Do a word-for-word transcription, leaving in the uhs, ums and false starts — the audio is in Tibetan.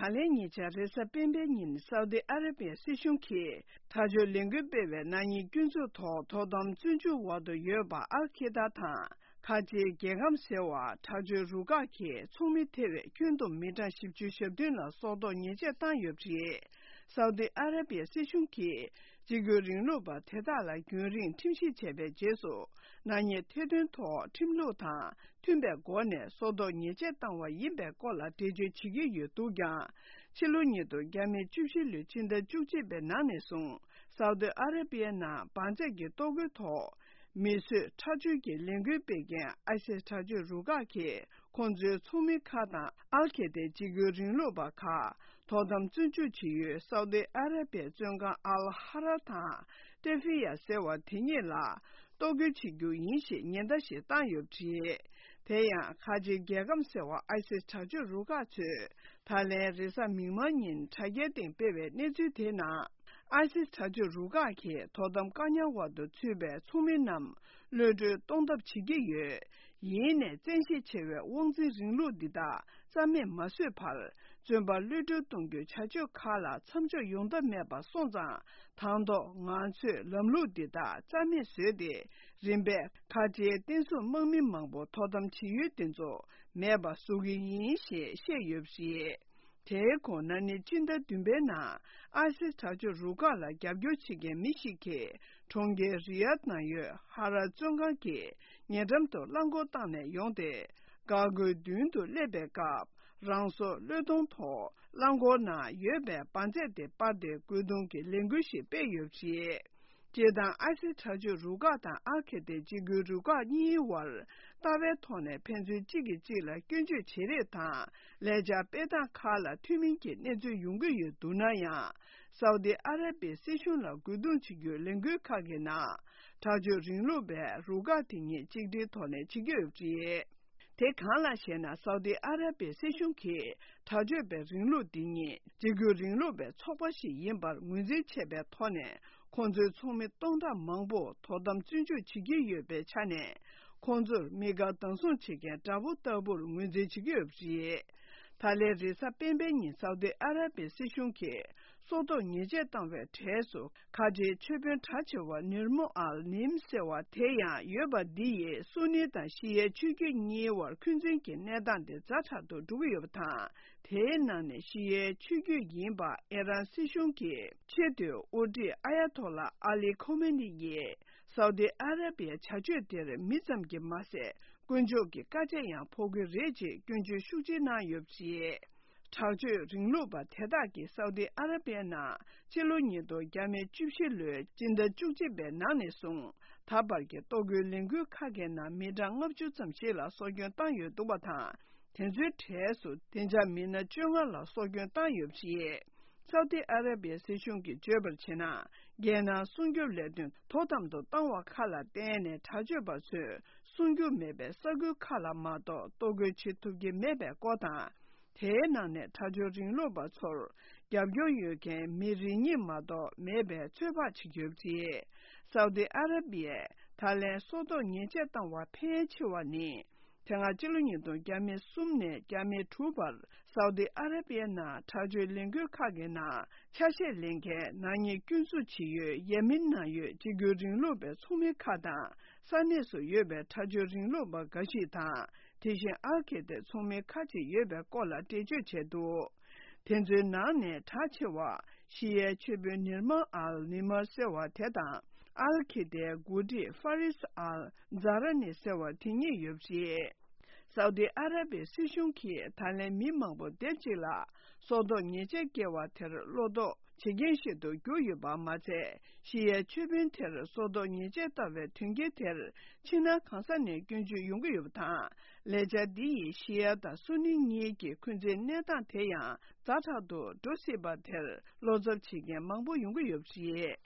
ད་ལན་ཉེ་ཆར་རེས་གཟའ་སྤེན་པའི་ཉིན་སའུ་དི་ཨ་ར་པི་ཡའི་སྲིད་གཞུང་གིས་དྲག་སྤྱོད་ལས་འགུལ་སྤེལ་བའི་ནག་ཉེས་སྐྱོན་འཛུགས་ཐོག་དོ་དམ་བཙོན་འཇུག་འོག་ཏུ་ཡོད་པ་ཨལ་ཁེ་ད་དང་ཁ་ཆེའི་རྒྱལ་ཁམས་ཟེར་བ་དྲག་སྤྱོད་རུ་ཁག་གིས་ཚོགས་མི་ཐེ་བའི་ཁྱོན་བསྡོམས་མི་གྲངས་བཞི་བཅུ་ཞེ་བདུན་ལ་སྲོག་ཐོག་ཉེས་ཆད་བཏང་ཡོད་པ་རེད། སའུ་དི་ཨ་ར་པི་ཡའི་སྲིད་གཞུང་གིས་གཅིག་གྱུར་རིང་ལུགས་པ་དེ་དག་ལ་རྒྱུན་རིང་ཁྲིམས་ཞིབ་བྱས་པའི་རྗེས་སུ་ནག་ཉེས་ཐེར་འདོན་ཐོག་ཁྲིམས་ལུགས་དང་མཐུན་པའི་སྒོ་ནས་སྲོག་ཐོག་ཉེས་ཆད་བཏང་བ་ཡིན་པའི་སྐོར་ལ་འགྲེལ་བརྗོད་བྱེད་ཀྱི་ཡོད་འདུག་ཀྱང་། ཕྱི་ལོ་ཉིས་སྟོང་བརྒྱ་མེད་བཅུ་བཞི་ལོའི་ཕྱི་ཟླ་བཅུ་གཅིག་པའི་ནང་ནས་བཟུང་སའུ་དི་ཨ་ར་པི་ཡའི་ནང་བང་རྩལ་གྱི་ལྟོ་གོས་ཐོག་མི་གསོད་ཁྲག་སྦྱོར་གྱི་ལས་འགུལ་སྤེལ་མཁན་ཨའི་སིས་དྲག་སྤྱོད་རུ་ཁག་གིས་ཁོང་ཚོའི་ཚོགས་མི་ཁག་དང་ཨལ་ཁེ་ཏའི་གཅིག་གྱུར་རིང་ལུགས་པ་ཁག་དོ་དམ་བཙོན་འཇུག་བྱེད་ཡུལ་སའུ་དི་ཨ་ར་པི་ཡའི་བཙོན་ཁང་ཨལ་ཧ་ར་དང་ཏེ་ཧྥི་ཡ་ཟེར་བ་དེ་གཉིས་ལ་གཏོར་རྒོལ་བྱེད་རྒྱུ་ཡིན་ཞེས་ཉེན་བརྡ་ཞིག་བཏང་ཡོད་པ་རེད། དེ་ཡང་ཁ་ཆེའི་རྒྱལ་ཁམས་ཟེར་བ་ཨའི་སིས་དྲག་སྤྱོད་རུ་ཁག་ཚོས་ད་ལན་རེས་གཟའ་མིག་དམར་ཉིན་དྲ་རྒྱའི་སྟེང་སྤེལ་བའི་གནས་ཚུལ་དེའི་ནང་། ཨའི་སིས་དྲག་སྤྱོད་རུ་ཁག་གིས་དོ་དམ་བཀག་ཉར་འོག་ཏུ་ཚུད་པའི་ཚོགས་མི་རྣམས་གློད་གྲོལ་གཏོང་ཐབས་བྱེད་ཀྱི་ཡོད། ཡིན་ནའི་བཙན་ཤེད་ཆེ་བའི་དབང་འཛིན་རིང་ལུགས་འདི་དག་རྩ་མེད་མ་བཟོས་བར། བཙོན་པ་གློད་གྲོལ་གཏོང་རྒྱུའི་བྱ་སྤྱོད་ཁག་ལ་མཚམས་འཇོག་ཡོང་ཐབས་མེད་པ་སོང་ཙང་། དང་ཐོག་ང་ཚོས་ལམ་ལུགས་འདི་དག་རྩ་མེད་བཟོས་ཏེ། རིམ་པས་ཁ་ཆེའི་བསྟན་སྲུང་དམག་མི་མང་པོ་དོ་དམ་བྱེད་ཡུལ་དེ་ཚོ་མེད་པ་བཟོ་གི་ཡིན་ཞེས་བཤད་ཡོད་པ་རེད། དེའི་གོང་ན་ནིང་སྤྱི་ཟླ་བདུན་པའི་ནང་ཨ་སི་དྲག་སྤྱོད་རུ་ཁག་ལ་རྒྱབ་སྐྱོར་བྱེད་མཁན་མི་ཞིག་གིས་གྲོང་ཁྱེར་རི་ཡཱད་ནང་ཡོད་ཧ་ར་བཙོན་ཁང་གི་ཉེ་འགྲམ་དུ་རླངས་འཁོར་བཏང་ནས་ཡོང་སྟེ། འགག་སྒོའི་མདུན་དུ་སླེབས་པའི་སྐབས་རང་སྲོག་བློས་གཏོང་ཐོག་རླངས་འཁོར་ནང་ཡོད་པའི་བང་རྩལ་དེ་སྤར་ཏེ་རྒོལ་རྡུང་གི་ལས་འགུལ་ཞིག་སྤེལ་ཡོད་པ་རེད། སྤྱིར་བཏང་ཨ་སི་དྲག་སྤྱོད་རུ་ཁག་དང་ཨལ་ཁེ་ཏའི་གཅིག་གྱུར་རུ་ཁག་གཉིས་བར་ལྟ་བའི་ཐོག་ནས་ཕན་ཚུན་གཅིག་གིས་གཅིག་ལ་སྐྱོན་བརྗོད་བྱེད་རེས་དང་ལས་འཆར་སྤེལ་སྟངས་ཁག་ལ་མཐུན་མིན་གྱི་གནས་ཚུལ་ཡོང་གི་ཡོད་འདུག་ན་ཡང་། སའུ་དི་ཨ་ར་པིའི་སྲིད་གཞུང་ལ་རྒོལ་རྡུང་བྱེད་རྒྱུའི་ལས་འགུལ་ཁག་གི་ནང་དྲག་སྤྱོད་རིང་ལུགས་པའི་རུ་ཁག་དེ་གཉིས་གཅིག་སྒྲིལ་ཐོག་ནས་བྱེད་ཀྱི་ཡོད་པ་རེད། དེ་གང་ལགས་ཤེ་ན། སའུ་དི་ཨ་ར་པིའི་སྲིད་གཞུང་གིས་དྲག་སྤྱོད་པའི་རིང་ལུགས་འདི་ཉིད་གཅིག་གྱུར་རིང་ལུགས་པའི་ཚོགས་པ་ཞིག་ཡིན་པར་ངོས་འཛིན་བྱས་པའི་ཐོག་ནས། ཁོང་ཚོའི་ཚོགས་མི་སྟོང་ཕྲག་མང་པོ་དོ་དམ་བཙོན་འཇུག་བྱེད་ཀྱི་ཡོད་པའི་ཆ་ནས། ཁོང་ཚོར་དམིགས་བཀར་བདག་བཟུང་བྱེད་མཁན་དགྲ་བོ་ལྟ་བུར་ངོས་འཛིན་བྱེད་ཀྱི་ཡོད་པ་རེད། ད་ལན་རེས་གཟའ་སྤེན་པའི་ཉིན་སའུ་དི་ཨ་ར་པིའི་སྲིད་གཞུང་གིས་སྲོག་ཐོག་ཉེས་ཆད་བཏང་བའི་གྲས་སུ། ཁ་ཆེའི་ཆོས་དཔོན་གྲགས་ཆེ་བ་ནིར་མོ་ཨལ་ནིམ་ཟེར་བ་དེ་ཡང་ཡོད་པ་འདི་ཡིས་སུ་ནི་དང་ཤི་ཡའི་ཆོས་བརྒྱུད་གཉིས་བར་འཁོན་འཛིན་གྱི་གནས་སྟངས་དེ་ཛ་དྲག་ཏུ་འགྲོ་གི་ཡོད་པ་དང་། དེའི་ནང་ནས་ཤི་ཡའི་ཆོས་བརྒྱུད་ཡིན་པ་ཨི་རན་སྲིད་གཞུང་གི་ཆེས་མཐོའི་དབུ་ཁྲིད་ཨ་ཡ་ཐོ་ལ་ཨ་ལི་ཁོ་མེ་ནི་ཡིས་སའུ་དི་ཨ་ར་པིའི་བྱ་སྤྱོད་དེར་མི་ཙམ་གྱིས་མ་ཟད། དཀོན་མཆོག་གི་བཀའ་ཆད་ཡང་ཕོག་གི་རེད་ཅེས་སྐྱོན་བརྗོད་ཤུགས་ཆེ་གནང་ཡོད་པ་རེད། དྲག་སྤྱོད་རིང་ལུགས་པ་དེ་དག་གིས་སའུ་དི་ཨ་ར་པིའི་ནང་སྤྱི་ལོ་ཉིས་སྟོང་བརྒྱ་མེད་བཅུ་བཞི་ལོའི་སྤྱི་ཟླ་བཅུ་གཅིག་པའི་ནང་ནས་བཟུང་ད་བར་གྱི་གཏོར་རྒོལ་ལས་འགུལ་ཁག་གི་ནང་མི་གྲངས་ལྔ་བཅུ་ཙམ་ཞིག་ལ་སྲོག་སྐྱོན་བཏང་ཡོད་འདུག་པ་དང་། དེ་ཚོའི་གྲས་སུ་བདེ་འཇགས་མི་སྣ་བཅོ་ལྔ་ལ་སྲོག་སྐྱོན་བཏང་ཡོད་པ་རེད། སའུ་དི་ཨ་ར་པིའི་སྲིད་གཞུང་གིས་བརྗོད་པར་བྱས་ན། རྒྱལ་ནང་སྲུང་སྐྱོབ་ལས་དོན་དོ་དམ་དུ་བཏང་བ་ཁག་ལ་བརྟེན་ནས། དྲག་སྤྱོད་པ་ཚོས་སྲུང་རྒྱུ་མེད་པའི་ས་ཁུལ་ཁག་ལ་མ་གཏོགས་གཏོར་རྒོལ་བྱེད་ཐུབ་ཀྱི་མེད་པའི་སྐོར་དང་། དེའི་ནང་ནས་དྲག་སྤྱོད་རིང་ལུགས་པ་ཚོར་རྒྱབ་སྐྱོར་ཡོད་མཁན་མི་རེ་གཉིས་མ་གཏོགས་མེད་པའི་ཚོད་དཔག་བྱེད་ཀྱི་ཡོད་པ་རེད། སའུ་དི་ཨ་ར་པིས་ད་ལན་སྲོག་ཐོག་ཉེས་ཆད་བཏང་བ་ཕལ་ཆེ་བ་ནི། དེ་སྔ་ཕྱི་ལོ་ཉིས་སྟོང་བརྒྱ་མེད་གསུམ་ནས་བརྒྱ་མེད་དྲུག་བར་སའུ་དི་ཨ་ར་པིའི་ནང་དྲག་སྤྱོད་ལས་འགུལ་ཁག་གི་ནང་ཆ་ཤས་ལེན་མཁན་ནག་ཉེས་སྐྱོན་འཛུགས་བྱེད་ཡུལ་ཡེ་མེན་ནང་ཡོད་གཅིག་གྱུར་རིང་ལུགས་པའི་ཚོགས་མི་ཁག་དང་། ས་གནས་སུ་ཡོད་པའི་དྲག་སྤྱོད་རིང་ལུགས་པ་འགའ་ཞིག་དང་། དེ་བཞིན་ཨལ་ཁེ་ཏའི་ཚོགས་མི་ཁག་ཅིག་ཡོད་པའི་སྐོར་ལ་འགྲེལ་བརྗོད་བྱས་འདུག་དེ་ཚོའི་ནང་ནས་གྲགས་ཆེ་བ་ཤི་ཡའི་ཆོས་དཔོན་ནིར་མ་ཨལ་ནི་མར་ཟེར་བ་དེ་དང་། ཨལ་ཁེ་ཏའི་འགོ་ཁྲིད་ཧྥ་རིས་ཨལ་ཛ་ར་ནི་ཟེར་བ་དེ་གཉིས་ཡོད་པ་རེད། སའུ་དི་ཨ་ར་པིའི་སྲིད་གཞུང་གིས་ད་ལན་མི་མང་པོ་སྡེབ་གཅིག་ལ་སྲོག་ཐོག་ཉེས་ཆད་བཀལ་བ་དེར་བློ་དོགས་བྱེད་མཁན་ཞིག་ཏུ་གྱུར་ཡོད་པ་མ་ཚད། ཤི་ཡའི་ཆོས་དཔོན་དེར་སྲོག་ཐོག་ཉེས་ཆད་བཏང་བའི་དོན་རྐྱེན་དེར་ཕྱི་ནང་གང་ས་ནས་སྐྱོན་བརྗོད་ཡོང་གི་ཡོད་པ་དང་། ལས་འཆར་འདི་ཡིས་ཤི་ཡ་དང་སུ་ནི་གཉིས་ཀྱི་འཁོན་འཛིན་གནས་སྟངས་དེ་ཡང་ཛ་དྲག་ཏུ་འགྲོ་སྲིད་པ་དེར་བློ་འཚབ་བྱེད་མཁན་མང་པོ་ཡོང་གི་ཡོད་པ་རེད།